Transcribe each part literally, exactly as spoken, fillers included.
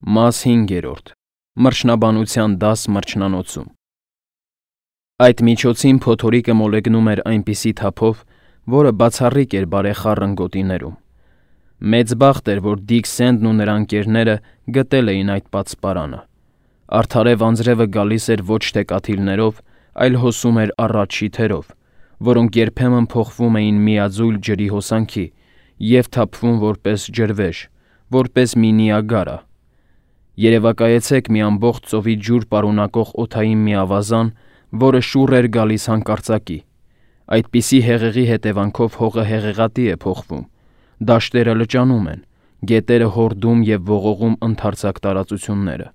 Մաս հինգերորդ. Մրջնաբանության դաս մրջնանոցում։ Այդ միջոցին փոթորիկը մոլեգնում էր այնպիսի թափով, որը բացառիկ էր բարեխառն գոտիներում։ Մեծ բախտ էր, որ Դիք Սենդն ու նրա ընկերները գտել էին այդ պատսպարանը։ Արդարև անձրևը գալիս էր ոչ թե կաթիլներով, այլ հոսում էր առաջ շիթերով, որոնք երբեմն փոխվում էին միաձույլ ջրի հոսանքի և թափվում որպես ջրվեժ, որպես մի Նիագարա։ Երևակայեցեք մի ամբողջ ծովի ջուր պարունակող օդային մի ավազան, որը շուռ էր գալիս հանկարծակի։ Այդպիսի հեղեղի հետևանքով հողը հեղեղատի է փոխվում, դաշտերը լճանում են, գետերը հորդում և ողողում ընդարձակ տարածությունները։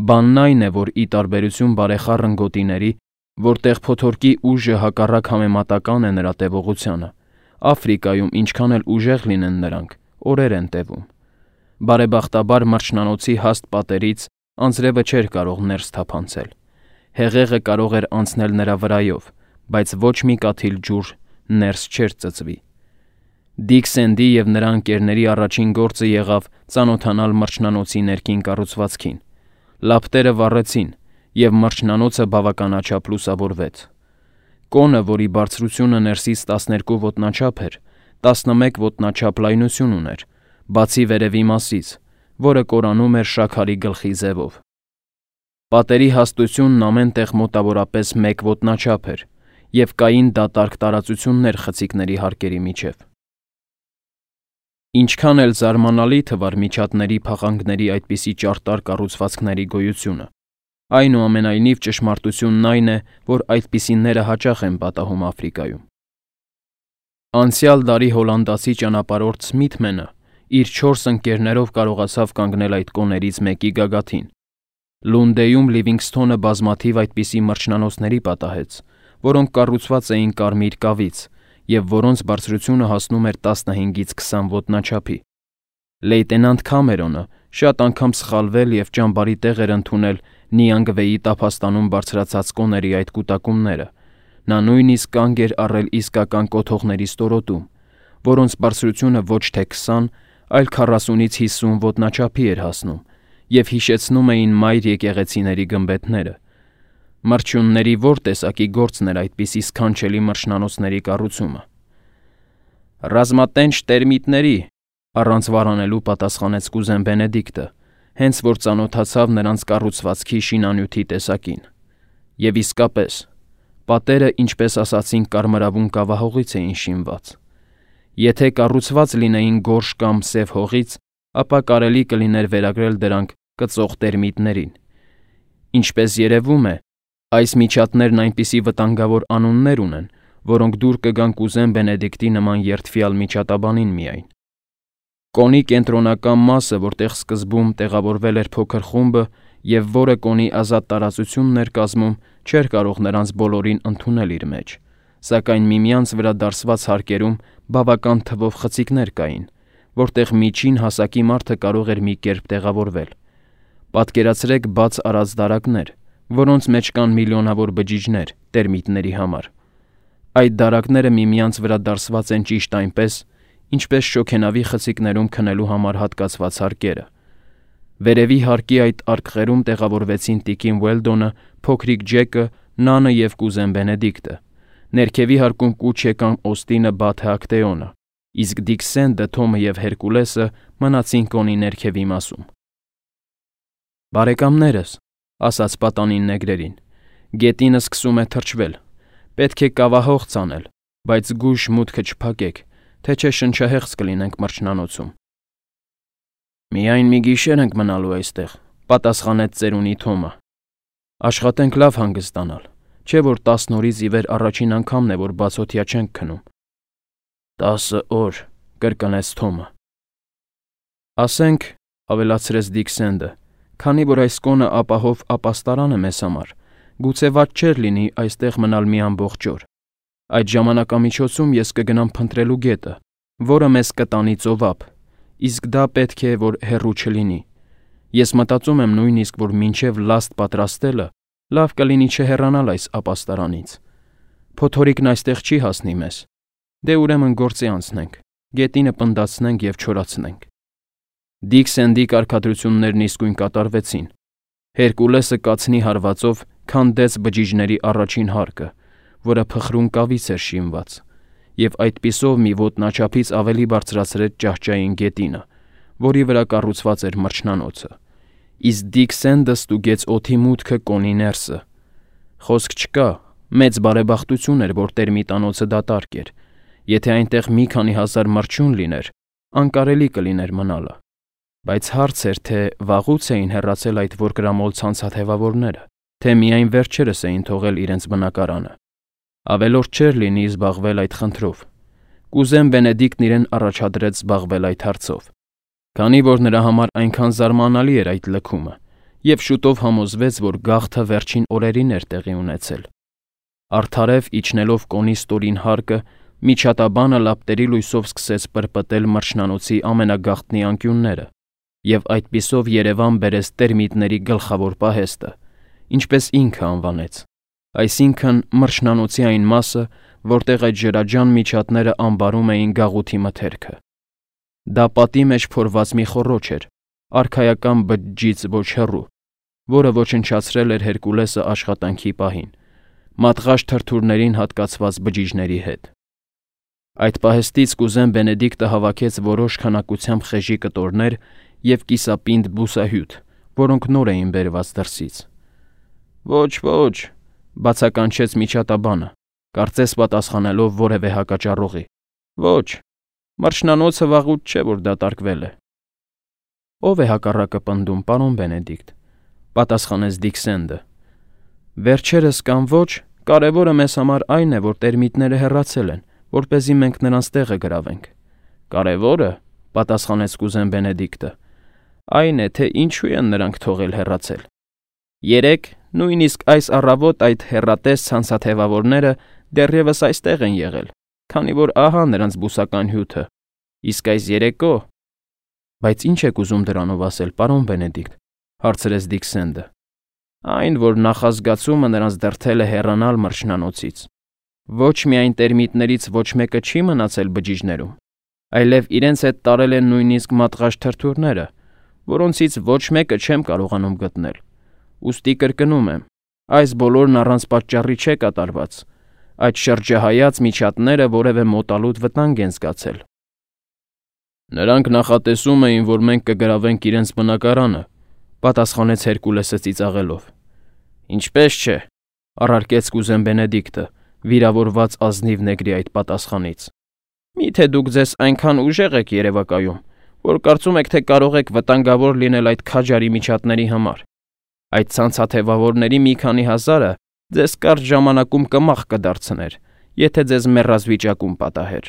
Բանն այն է, որ ի տարբերություն բարեխառն գոտիների, որտեղ փոթորկի ուժը հակառակ համեմատական է նրա տևողությանը, Աֆրիկայում ինչքան էլ ուժեղ լինեն նրանք, օրեր են տևում։ Բարեբախտաբար մրջնանոցի հաստ պատերից անձրևը չէր կարող ներս թափանցել։ Հեղեղը կարող էր անցնել նրա վրայով, բայց ոչ մի կաթիլ ջուր ներս չէր ծծվի։ Դիք Սենդի և նրա ընկերների առաջին գործը եղավ ծանոթանալ մրջնանոցի ներքին կառուցվածքին։ Լապտերը վառեցին, և մրջնանոցը բավականաչափ լուսավորվեց։ Կոնը, որի բարձրությունը ներսից տասներկու ոտնաչափ էր, տասնմեկ ոտնաչափ լայնություն ուներ, բացի վերևի մասից, որը կորանում էր շաքարի գլխի ձևով։ Պատերի հաստությունն ամեն տեղ մոտավորապես մեկ ոտնաչափ էր, և կային դատարկ տարածություններ խցիկների հարկերի միջև։ Ինչքան էլ զարմանալի թվար միջատների փաղանգների այդպիսի ճարտար կառուցվածքների գոյությունը, այնուամենայնիվ ճշմարտությունն այն է, որ այդպիսիները հաճախ են պատահում Աֆրիկայում։ Անցյալ դարի հոլանդացի ճանապարհորդ Սմիթմենը իր չորս ընկերներով կարողացավ կանգնել այդ կոներից մեկի գագաթին։ Լունդեում Լիվինգսթոնը բազմաթիվ այդպիսի մրջնանոցների պատահեց, որոնք կառուցված էին կարմիր կավից և որոնց բարձրությունը հասնում էր տասնհինգից քսան ոտնաչափի։ Լեյտենանտ Քամերոնը շատ անգամ սխալվել և ճամբարի տեղ էր ընդունել Նիանգվեի տափաստանում բարձրացած կոների այդ կուտակումները։ Նա նույնիսկ կանգ էր առել իսկական կոթողների ստորոտում, որոնց բարձրությունը ոչ թե քսան, այլ քառասունից հիսուն ոտնաչափի էր հասնում և հիշեցնում էին մայր եկեղեցիների գմբեթները։ Մրջյունների ո՞ր տեսակի գործն էր այդպիսի սքանչելի մրջնանոցների կառուցումը։ Ռազմատենչ տերմիտների, առանց վարանելու պատասխանեց կուզեն Բենեդիկտը, հենց որ ծանոթացավ նրանց կառուցվածքի շինանյութի տեսակին։ Եվ իսկապես, պատերը, ինչպես ասացինք, կարմրավուն կավահողից էին շինված։ Եթե կառուցված լինեին գորշ կամ սև հողից, ապա կարելի կլիներ վերագրել դրանք կծող տերմիտներին։ Ինչպես երևում է, այս միջատներն այնպիսի վտանգավոր անուններ ունեն, որոնք դուր կգան կուզեն Բենեդիկտի նման երդվյալ միջատաբանին միայն։ Կոնի կենտրոնական մասը, որտեղ սկզբում տեղավորվել էր փոքր խումբը և որը կոնի ազատ տարածությունն էր կազմում, չէր կարող նրանց բոլորին ընդունել իր մեջ, սակայն միմյանց վրա դարսված հարկերում բավական թվով խցիկներ կային, որտեղ միջին հասակի մարդը կարող էր մի կերպ տեղավորվել։ Պատկերացրեք բաց արած դարակներ, որոնց մեջ կան միլիոնավոր բջիջներ տերմիտների համար։ Այդ դարակները միմյանց վրա դարսված են ճիշտ այնպես, ինչպես շոգենավի խցիկներում քնելու համար հատկացված հարկերը։ Վերևի հարկի այդ արկղերում տեղավորվեցին տիկին Ուելդոնը, փոքրիկ Ջեկը, Նանը և կուզեն Բենեդիկտը։ Ներքևի հարկում կուչ եկան Օստինը, Բաթը, Ակտեոնը, իսկ Դիք Սենդը, Թոմը և Հերկուլեսը մնացին կոնի ներքևի մասում։ «Բարեկամներս», ասաց պատանին նեգրերին, «գետինը սկսում է թրջվել։ Պետք է կավահող ցանել, բայց զգույշ մուտքը չփակեք, թե չէ շնչահեղձ կլինենք մրջնանոցում»։ «Միայն մի գիշեր ենք մնալու այստեղ», պատասխանեց ծերունի Թոմը։ «Աշխատենք լավ հանգստանալ, չէ՞ որ տասն օրից ի վեր առաջին անգամն է, որ բացօթյա չենք քնում»։ «Տասը օր», կրկնեց Թոմը։ «Ասենք», ավելացրեց Դիք Սենդը, «քանի որ այս կոնը ապահով ապաստարան է մեզ համար, գուցե վատ չէր լինի այստեղ մնալ մի ամբողջ օր։ Այդ ժամանակամիջոցում ես կգնամ փնտրելու գետը, որը մեզ կտանի ծովափ, իսկ դա պետք է, որ հեռու չլինի։ Ես մտածում եմ նույնիսկ, որ մինչև լաստ պատրաստելը լավ կլինի չհեռանալ այս ապաստարանից։ Փոթորիկն այստեղ չի հասնի մեզ։ Դե ուրեմն գործի անցնենք, գետինը պնդացնենք և չորացնենք»։ Դիքսենդի կարգադրություններն իսկույն կատարվեցին։ Հերկուլեսը կացնի հարվածով քանդեց բջիջների առաջին հարկը, որը փխրուն կավից էր շինված, եւ այդպիսով մի ոտնաչափից ավելի բարձրացրեց ճահճային գետինը, որի վրա կառուցված էր մրջնանոցը։ Իսկ Դիքսենդը ստուգեց օդի մուտքը կոնի ներսը։ Խոսք չկա, մեծ բարեբախտություն էր, որ տերմիտանոցը դատարկ էր։ Եթե այնտեղ մի քանի հազար մրջյուն լիներ, անկարելի կլիներ մնալը։ Բայց հարց էր, թե վաղուց էին հեռացել այդ որկրամոլ ցանցաթևավորները, թե միայն վերջերս էին թողել իրենց բնակարանը։ Ավելորդ չէր լինի զբաղվել այդ խնդրով։ Կուզեն Բենեդիկտն իրեն առաջադրեց զբաղվել այդ հարցով, քանի որ նրա համար այնքան զարմանալի էր այդ լքումը, եւ շուտով համոզվեց, որ գաղթը վերջին օրերին էր տեղի ունեցել։ Արդարև իջնելով կոնի ստորին հարկը, միջատաբանը լապտերի լույսով սկսեց պրպտել մրջնանոցի ամենագաղտնի անկյունները, եւ այդպիսով Երևան բերեց տերմիտների գլխավոր պահեստը, ինչպես ինքը անվանեց, այսինքն մրջնանոցի այն մասը, որտեղ այդ ջրաջան միջատները ամբարում էին գաղութի մթերքը։ Դա պատի մեջ փորված մի խոռոչ էր, արքայական բջջից ոչ հեռու, որը ոչնչացրել էր Հերկուլեսը աշխատանքի պահին, մատղաշ թրթուրներին հատկացված բջիջների հետ։ Այդ պահեստից կուզեն Բենեդիկտը հավաքեց որոշ քանակությամբ խեժի կտորներ և կիսապինդ բուսահյութ, որոնք նոր էին բերված դրսից։ Ոչ, ոչ, բացականչեց միջատաբանը, կարծես պատասխանելով որևէ հակաճառողի։ Ոչ, մրջնանոցը վաղուց չէ, որ դատարկվել է։ Ո՞վ է հակառակը պնդում, պարոն Բենեդիկտ, պատասխանեց Դիքսենդը։ Վերջերս կամ ոչ, կարևորը մեզ համար այն է, որ տերմիտները հեռացել են, որպեսզի մենք նրանց տեղը գրավենք։ Կարևորը, պատասխանեց կուզեն Բենեդիկտը, այն է, թե ինչու են նրանք թողել հեռացել։ Երեկ, նույնիսկ այս առավոտ այդ հեռատես ցանցաթևավորները դեռևս այստեղ են եղել, քանի որ ահա նրանց բուսական հյութը, իսկ այս երեկո… Բայց ինչ եք ուզում դրանով ասել, պարոն Բենեդիկտ, հարցրեց Դիքսենդը։ Այն, որ նախազգացումը նրանց դրդել է հեռանալ մրջնանոցից։ Ոչ միայն տերմիտներից ոչ մեկը չի մնացել բջիջներում, այլև իրենց հետ տարել են նույնիսկ մատղաշ թրթուրները, որոնցից ոչ մեկը չեմ կարողանում գտնել։ Ուստի կրկնում եմ, այս բոլորն առանց պատճառի չէ կատարված, այդ շրջահայաց միջատները որևէ մոտալուտ վտանգ են զգացել։ Նրանք նախատեսում էին, որ մենք կգրավենք իրենց բնակարանը, պատասխանեց Հերկուլեսը ծիծաղելով։ Ինչպես չէ, առարկեց կուզեն Բենեդիկտը, վիրավորված ազնիվ նեգրի այդ պատասխանից։ Միթե դուք ձեզ այնքան ուժեղ եք երևակայում, որ կարծում եք, թե կարող եք վտանգավոր լինել այդ քաջարի միջատների համար։ Այդ ցանցաթևավորների մի քանի հազարը ձեզ կարճ ժամանակում կմախ կդարձներ, եթե ձեզ մեռած վիճակում պատահեր։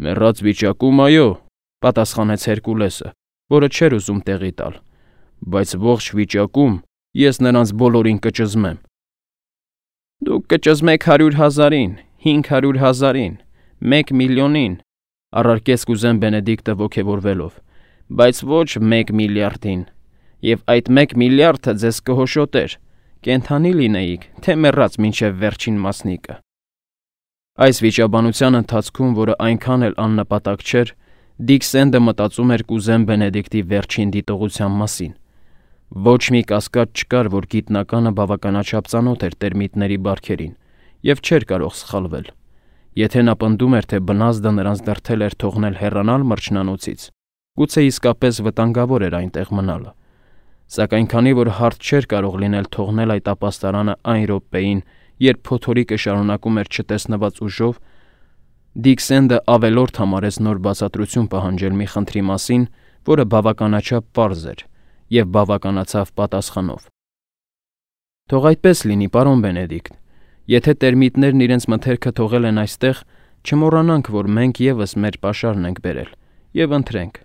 Մեռած վիճակում, այո, պատասխանեց Հերկուլեսը, որը չէր ուզում տեղի տալ, բայց ողջ վիճակում ես նրանց բոլորին կճզմեմ։ Դուք կճզմեք հարյուր հազարին, հինգ հարյուր հազարին, մեկ միլիոնին, առարկեց կուզեն Բենեդիկտը ոգևորվելով, բայց ոչ մեկ միլիարդին, եւ այդ մեկ միլիարդը ձեզ կհոշոտեր, կենդանի լինեիք, թե մեռած մինչև վերջին մասնիկը։ Այս վիճաբանության ընթացքում, որը այնքան էլ աննպատակ չէր, Դիքսենդը մտածում էր կուզեն Բենեդիկտի վերջին դիտողության մասին։ Ոչ մի կասկած չկար, որ գիտնականը բավականաչափ ծանոթ էր տերմիտների բարքերին եւ չէր կարող սխալվել։ Եթե նա պնդում էր, թե բնազդը նրանց դրդել էր թողնել հեռանալ մրջնանոցից, գուցե իսկապես վտանգավոր էր այնտեղ մնալը։ Սակայն քանի որ հարթ չէր կարող լինել թողնել այդ ապաստարանը այն րոպեին, երբ փոթորիկը շարունակում էր չտեսնված ուժով, Դիքսենդը ավելորդ համարեց նոր բացատրություն պահանջել մի խնդրի մասին, որը բավականաչափ պարզ էր, եւ բավականացավ պատասխանով։ Թող այդպես լինի, պարոն Բենեդիկտ, եթե տերմիտներն իրենց մթերքը թողել են այստեղ, չմոռանանք, որ մենք եւս մեր պաշարն ենք բերել, եւ ընթրենք։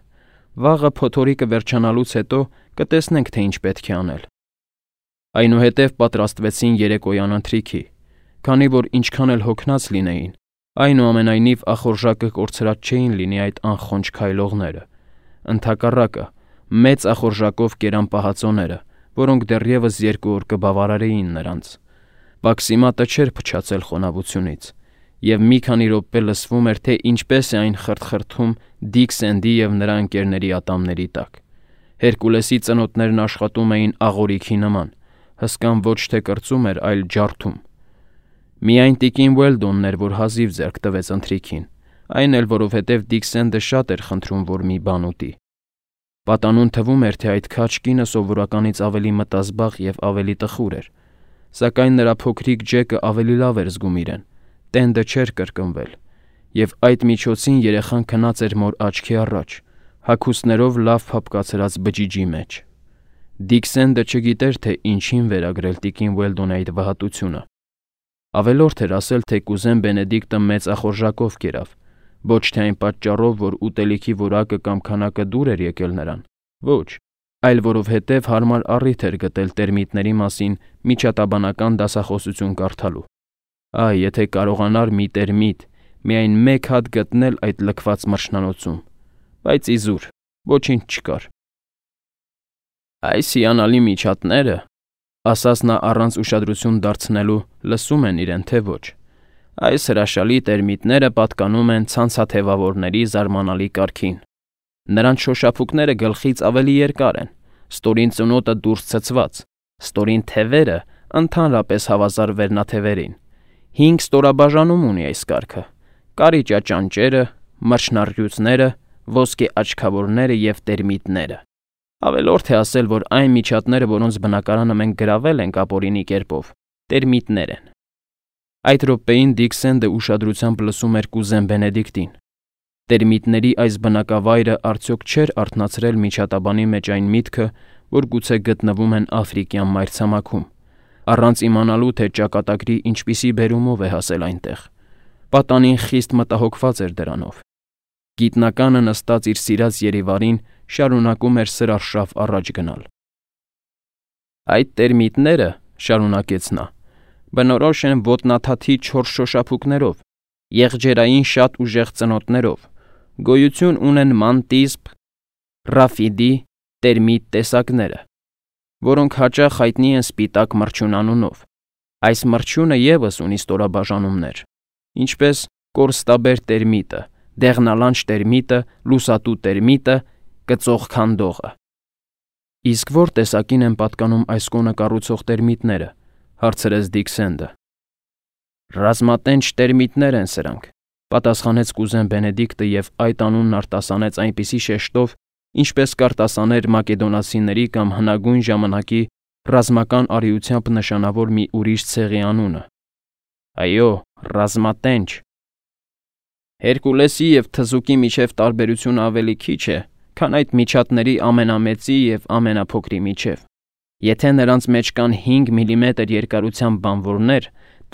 Վաղը փոթորիկը վերջանալուց հետո կտեսնենք, թե ինչ պետք է անել։ Այնուհետև պատրաստվեցին երեկոյան ընթրիքի, քանի որ ինչքան էլ հոգնած լինեին, այնուամենայնիվ ախորժակը կորցրած չէին լինի այդ անխոնջ քայլողները։ Ընդհակառակը, մեծ ախորժակով կերան պահածոները, որոնք դեռևս երկու օր կբավարարեին նրանց։ Վաքսիմատը չէր փչացել խոնավությունից, և մի քանի րոպե լսվում էր, թե ինչպես է այն խրթխրթում Դիք Սենդի և նրա ընկերների ատամների տակ։ Հերկուլեսի ծնոտներն աշխատում էին աղորիքի նման, հսկան ոչ թե կրծում էր, այլ ջարդում։ Միայն տիկին Ուելդոնն էր, որ հազիվ ձեռք տվեց ընթրիքին, այն էլ որովհետև Դիք Սենդը շատ էր խնդրում, որ մի բան ուտի։ Պատանուն թվում էր, թե այդ քաջ կինը սովորականից ավելի մտազբաղ և ավելի տխուր էր, սակայն նրա փոքրիկ Ջեկը ավելի լավ էր զգում իրեն, տենդը չէր կրկնվել, և այդ միջոցին երեխան քնած էր մոր աչքի առաջ, հագուստներով լավ փափկացրած բջիջի մեջ։ Դիք Սենդը չգիտեր, թե ինչին վերագրել տիկին Ուելդոնի այդ վհատությունը։ Ավելորդ էր ասել, թե կուզեն Բենեդիկտը մեծ ախորժակով կերավ, ոչ թե այն պատճառով, որ ուտելիքի որակը կամ քանակը դուր էր եկել նրան, ոչ, այլ որովհետև հարմար առիթ էր գտել տերմիտների մասին միջատաբանական դասախոսություն կարդալու։ Այ, եթե կարողանար մի տերմիտ, միայն մեկ հատ գտնել այդ լքված մրջնանոցում, բայց իզուր, ոչինչ չկար։ Այս հիանալի միջատները, ասաց նա առանց ուշադրություն դարձնելու, լսում են իրեն, թե ոչ։ Այս հրաշալի տերմիտները պատկանում են ցանցաթևավորների զարմանալի կարգին։ Նրանց շոշափուկները գլխից ավելի երկար են, ստորին ծնոտը դուրս ցցված, ստորին թևերը ընդհանրապես հավասար վերնաթևերին։ Հինգ ստորաբաժանում ունի այս կարգը՝ կարիճաճանճերը, մրջնառյուծները, ոսկե աչքավորները և տերմիտները։ Ավելորդ է ասել, որ այն միջատները, որոնց բնակարանը մենք գրավել ենք ապօրինի կերպով, տերմիտներ են։ Այդ րոպեին Դիք Սենդը ուշադրությամբ լսում էր կուզեն Բենեդիկտին։ Տերմիտների այս բնակավայրը արդյոք չէր արթնացրել միջատաբանի մեջ այն միտքը, որ գուցե գտնվում են Աֆրիկյան մայրցամաքում, առանց իմանալու, թե ճակատագրի ինչպիսի բերումով է հասել այնտեղ։ Պատանին խիստ մտահոգված էր դրանով։ Գիտնականը նստած իր սիրած Երևարին շարունակում էր սրարշավ առաջ գնալ։ Այդ տերմիտները, շարունակեց նա, բնորոշ են ոտնաթաթի չորս շոշափուկներով, եղջերային շատ ուժեղ ծնոտներով, գոյություն ունեն մանտիսպ, ռաֆիդի, տերմիտ տեսակները, որոնք հաճախ հայտնի են սպիտակ մրջյուն անունով։ Այս մրջյունը ևս ունի ստորաբաժանումներ, ինչպես կորստաբեր տերմիտը, դեղնալանջ տերմիտը, լուսատու տերմիտը, կծող քանդողը։ Իսկ որ տեսակին են պատկանում այս կոնը կառուցող տերմիտները, հարցրեց Դիք Սենդը։ Ռազմատենչ տերմիտներ են սրանք, պատասխանեց կուզեն Բենեդիկտը և այդ անունն արտասանեց այնպիսի շեշտով, ինչպես կարտասաներ մակեդոնացիների կամ հնագույն ժամանակի ռազմական արիությամբ նշանավոր մի ուրիշ ցեղի անունը։ Այո, ռազմատենչ։ Հերկուլեսի և թզուկի միջև տարբերությունը ավելի քիչ է, քան այդ միջատների ամենամեծի և ամենափոքրի միջև։ Եթե նրանց մեջ կան հինգ միլիմետր երկարությամբ բանվորներ,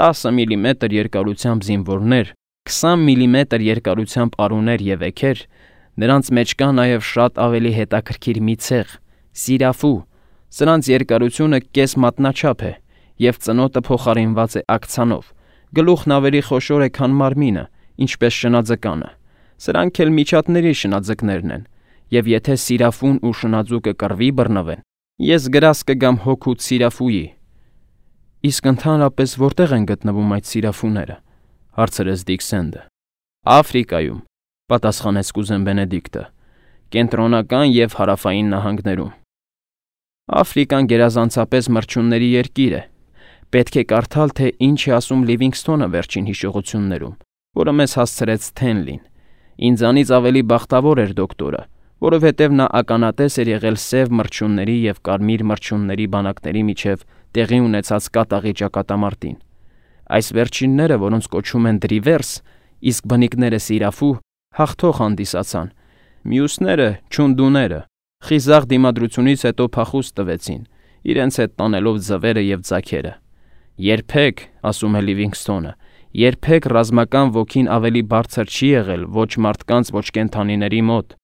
տասը միլիմետր երկարությամբ զինվորներ, քսան միլիմետր երկարությամբ արուներ և էգեր, նրանց մեջ կա նաև շատ ավելի հետաքրքիր մի ցեղ՝ սիրաֆու։ Սրանց երկարությունը կես մատնաչափ է, և ծնոտը փոխարինված է աքցանով, գլուխն ավելի խոշոր է, քան մարմինը, ինչպես շնաձկանը։ Սրանք էլ միջատների շնաձկներն են, և եթե սիրաֆուն ու շնաձուկը կռվի բռնվեն, ես գրաս կգամ հոգուց սիրաֆուի։ Իսկ ընդհանրապես որտեղ են գտնվում այդ սիրաֆուները, հարցրեց Դիք Սենդը։ Աֆրիկայում, պատասխանեց կուզեն Բենեդիկտը, կենտրոնական և հարավային նահանգներում։ Աֆրիկան գերազանցապես մրջյունների երկիր է։ Պետք է կարդալ, թե ինչ է ասում Լիվինգսթոնը վերջին հիշողություններում, որը մեզ հասցրեց Սթենլին։ Ինձանից ավելի բախտավոր էր դոկտորը, որովհետև նա ականատես էր եղել սև մրջյունների և կարմիր մրջյունների բանակների միջև տեղի ունեցած կատաղի ճակատամարտին։ Այս վերջինները, որոնց կոչում են դրիվերս, իսկ բնիկները սիրաֆու, հաղթող հանդիսացան։ Մյուսները՝ չունդուները, խիզախ դիմադրությունից հետո փախուստ տվեցին, իրենց հետ տանելով ձվերը և ձագերը։ Երբեք, ասում է Լիվինգսթոնը, երբեք ռազմական ոգին ավելի բարձր չի եղել ոչ մարդկանց, ոչ կենդանիների մոտ։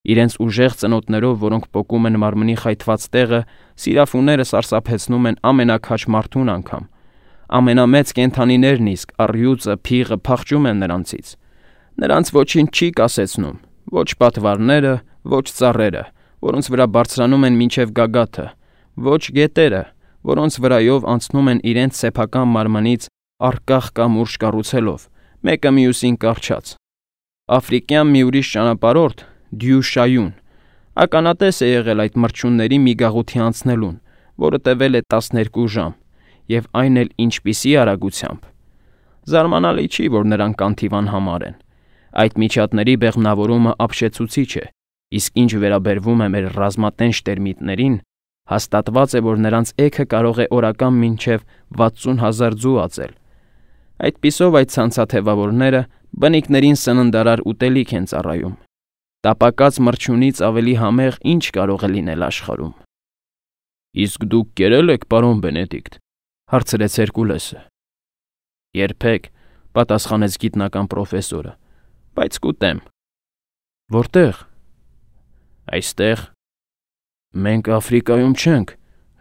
Իրենց ուժեղ ծնոտներով, որոնք պոկում են մարմնի խայթված տեղը, սիրաֆուները սարսափեցնում են ամենաքաջ մարդուն անգամ։ Ամենամեծ կենդանիներն իսկ առյուծը, փիղը փախչում են նրանցից։ Նրանց ոչինչ չի կասեցնում, ոչ պատվարները, ոչ ծառերը, որոնց վրա բարձրանում են մինչև գագաթը, ոչ գետերը, որոնց վրայով անցնում են իրենց սեփական մարմնից առկախ կամուրջ կառուցելով, մեկը մյուսին կառչած։ Աֆրիկյան մի ուրիշ ճանապարհորդ՝ Դյու Շայուն, ականատես է եղել այդ մրջյունների մի գաղութի անցնելուն, որը տևել է տասներկու ժամ, եւ այն էլ ինչպիսի արագությամբ։ Զարմանալի չի, որ նրանք կանթիվան համար են։ Այդ միջատների բեղմնավորումը ապշեցուցիչ է, իսկ ինչ վերաբերվում է մեր ռազմատենչ տերմիտներին, հաստատված է, որ նրանց էգը կարող է օրական մինչև վաթսուն հազար ձու ածել։ Այդպիսով այդ ցանցաթևավորները բնիկներին սննդարար ուտելիք են ծառայում։ Տապակած մրջյունից ավելի համեղ ինչ կարող է լինել աշխարհում։ Իսկ դուք կերել եք, պարոն Բենեդիկտ, հարցրեց Հերկուլեսը։ Երբեք, պատասխանեց գիտնական պրոֆեսորը, բայց կուտեմ։ Որտեղ։ Այստեղ։ Մենք Աֆրիկայում չենք,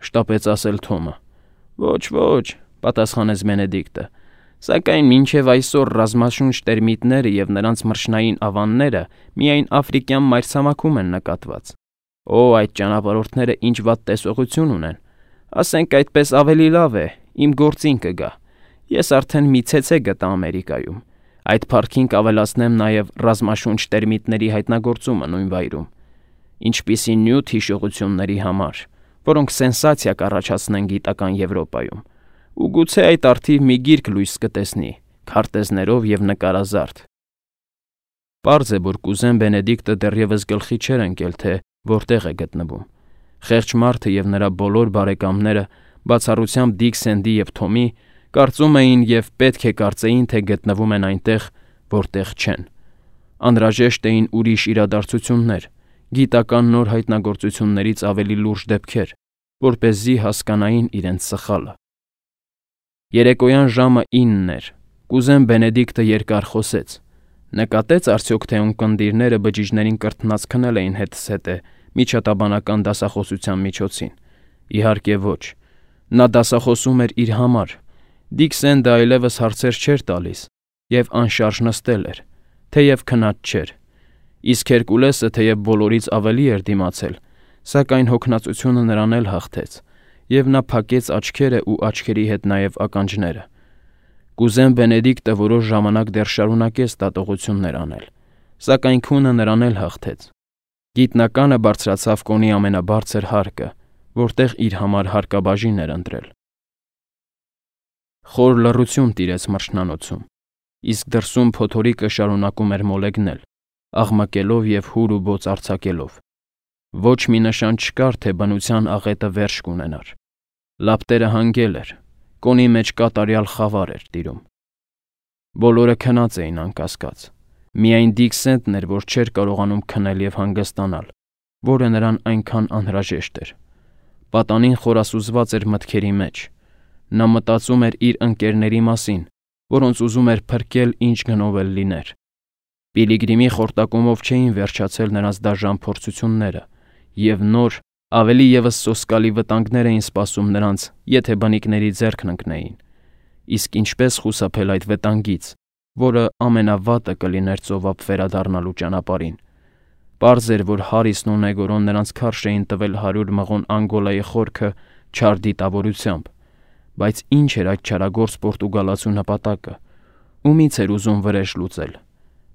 շտապեց ասել Թոմը։ Ոչ, ոչ, պատասխանեց Բենեդիկտը, սակայն մինչև այսօր ռազմաշունչ տերմիտները եւ նրանց մրջնային ավանները միայն աֆրիկյան մայրցամաքում են նկատված։ Օ, այդ ճանապարհորդները ինչ վատ տեսողություն ունեն։ Ասենք այդպես ավելի լավ է, իմ գործին կգա։ Ես արդեն մի ցեցե գտա Ամերիկայում։ Այդ փառքին կավելացնեմ նաև ռազմաշունչ տերմիտների հայտնագործումը նույն վայրում։ Ինչպիսի նյութ հիշողությունների համար, որոնք սենսացիա կառաջացնեն գիտական Եվրոպայում։ Ու գուցե այդ արդիվ մի գիրք լույս կտեսնի, քարտեզներով եւ նկարազարդ։ Պարզ է, որ կուզեն Բենեդիկտը դեռևս գլխի չէր ընկել, թե որտեղ է գտնվում։ Խեղճ մարդը եւ նրա բոլոր բարեկամները, բացառությամբ Դիկ Սենդի եւ Թոմի, կարծում էին եւ պետք է կարծեին, թե գտնվում են այնտեղ, որտեղ չեն։ Անհրաժեշտ էին ուրիշ իրադարձություններ, գիտական նոր հայտնագործություններից ավելի լուրջ դեպքեր, որպեսզի հասկանային իրենց սխալը։ Երեկոյան ժամը ինն էր։ Կուզեն Բենեդիկտը երկար խոսեց։ Նկատեց արդյոք, թե ունկնդիրները բջիջներին կրթնած քնել էին հետզհետե միջատաբանական դասախոսության միջոցին։ Իհարկե ոչ։ Նա դասախոսում էր իր համար։ Դիկ Սենդը այլևս հարցեր չէր տալիս եւ անշարժ նստել էր, թեև քնած չէր։ Իսկ Հերկուլեսը թեև բոլորից ավելի էր դիմացել, սակայն հոգնածությունը նրան էլ հաղթեց, եւ նա փակեց աչքերը ու աչքերի հետ նաեւ ականջները։ Կուզեն Բենեդիկտը որոշ ժամանակ դեռ շարունակեց դատողություններ անել, սակայն քունը նրան էլ հաղթեց։ Գիտնականը բարձրացավ կոնի ամենաբարձր հարկը, որտեղ իր համար հարկաբաժին էր ընտրել։ Խոր լռություն տիրեց մրջնանոցում, իսկ դրսում փոթորիկը շարունակում էր մոլեգնել, աղմկելով եւ հուր ու բոց արձակելով։ Ոչ մի նշան չկար, թե բնության աղետը վերջ կունենար։ Լապտերը հանգել էր, կոնի մեջ կատարյալ խավար էր տիրում։ Բոլորը քնած էին անկասկած։ Միայն Դիկ Սենդն էր, որ չէր կարողանում քնել եւ հանգստանալ, որը նրան այնքան անհրաժեշտ էր։ Պատանին խորասուզված էր մտքերի մեջ։ Նա մտածում էր իր ընկերների մասին, որոնց ուզում էր փրկել ինչ գնով էլ լիներ։ Պիլիգրիմի խորտակումով չէին վերջացել նրանց դաժան փորձությունները, եւ նոր, ավելի եւս սոսկալի վտանգներ էին սպասում նրանց, եթե բնիկների ձեռքն ընկնեին։ Իսկ ինչպես խուսափել այդ վտանգից, որը ամենավատը կլիներ ծովափ վերադառնալու ճանապարհին։ Պարզ էր, որ Հարիսն ու Նեգորոն նրանց քարշ էին տվել հարյուր մղոն Անգոլայի խորքը չար դիտավորությամբ, բայց ինչ էր այդ չարագործ պորտուգալացու նպատակը, ումից էր ուզում վրեժ լուծել։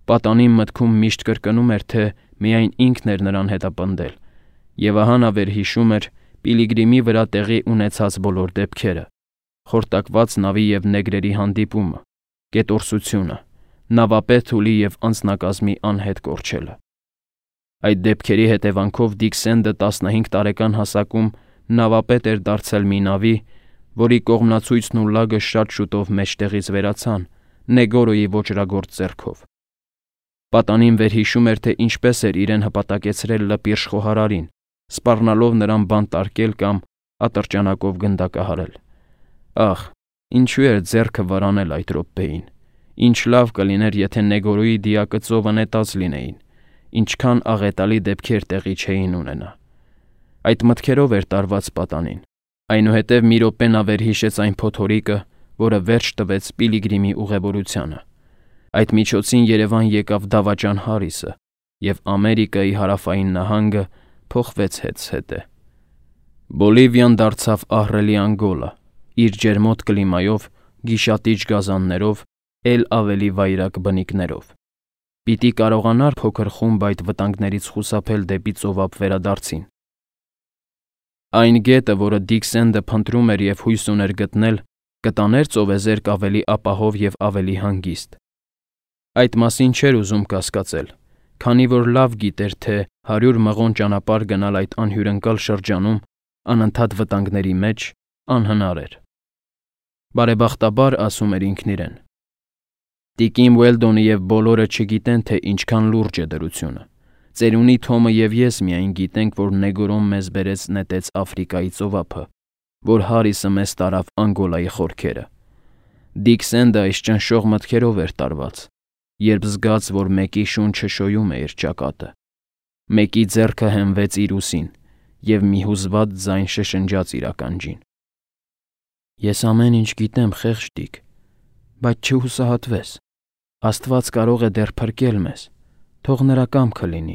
Պատանին մտքում միշտ կրկնում էր, թե միայն ինքն էր նրան հետապնդել, եւ ահա նա վերհիշում էր Պիլիգրիմի վրա տեղի ունեցած բոլոր դեպքերը, խորտակված նավի եւ նեգրերի հանդիպումը, կետորսությունը, նավապետ Թուլի եւ անձնակազմի անհետ կորչելը։ Այդ դեպքերի հետևանքով Դիկ Սենդը տասնհինգ տարեկան հասակում նավապետ էր դարձել մի նավի, որի կողմնացույցն ու լագը շատ շուտով մեջտեղից վերացան Նեգորոյի ոճրագործ ձեռքով։ Պատանին վերհիշում էր, թե ինչպես էր իրեն հպատակեցրել լպիրշ խոհարարին, սպառնալով նրան բանտարկել կամ ատրճանակով գնդակահարել։ Ահ, ինչու էր ձեռքը վարանել այդ րոպեին։ Ինչ լավ կլիներ, եթե Նեգորոյի դիակը ծովը նետած լինեին, ինչքան աղետալի դեպքեր տեղի չէին ունենա։ Այդ մտքերով էր տարված պատանին։ Այնուհետև մի րոպե նա վերհիշեց այն փոթորիկը, որը վերջ տվեց Պիլիգրիմի ուղևորությանը։ Այդ միջոցին Երևան եկավ դավաճան Հարիսը, եւ Ամերիկայի հարավային նահանգը փոխվեց հետզհետե։ Բոլիվիան դարձավ ահռելի Անգոլա, իր ջերմոտ կլիմայով, գիշատիչ գազաններով, էլ ավելի վայրագ բնիկներով։ Պիտի կարողանար փոքր խումբ այդ վտանգներից խուսափել դեպի ծովափ վերադարձին։ Այն գետը, որը Դիքսենդը փնտրում էր և հույս ուներ գտնել, կտաներ ծովեզերք ավելի ապահով և ավելի հանգիստ։ Այդ մասին չէր ուզում կասկածել, քանի որ լավ գիտեր, թե հարյուր մղոն ճանապարհ գնալ այդ անհյուրընկալ շրջանում, անընդհատ վտանգների մեջ, անհնար էր։ Բարեբախտաբար, ասում էր ինքն իրեն, Տիկին Ուելդոնը և բոլորը չգիտեն, թե ինչքան լուրջ է դրությունը։ Ծերունի Թոմը և ես միայն գիտենք, որ Նեգորոն մեզ բերեց նետեց Աֆրիկայի ծովափը, որ Հարիսը մեզ տարավ Անգոլայի խորքերը։ Դիքսենդը այս ճնշող մտքերով էր տարված, երբ զգաց, որ մեկի շունչը շոյում է իր ճակատը, մեկի ձեռքը հենվեց իր ուսին, և մի հուզված ձայն շշնջաց իր ականջին. Ես ամեն ինչ գիտեմ, խեղճ Դիք, բայց չհուսահատվես, Աստված կարող է դեռ փրկել մեզ, թող նրա կամքը լինի։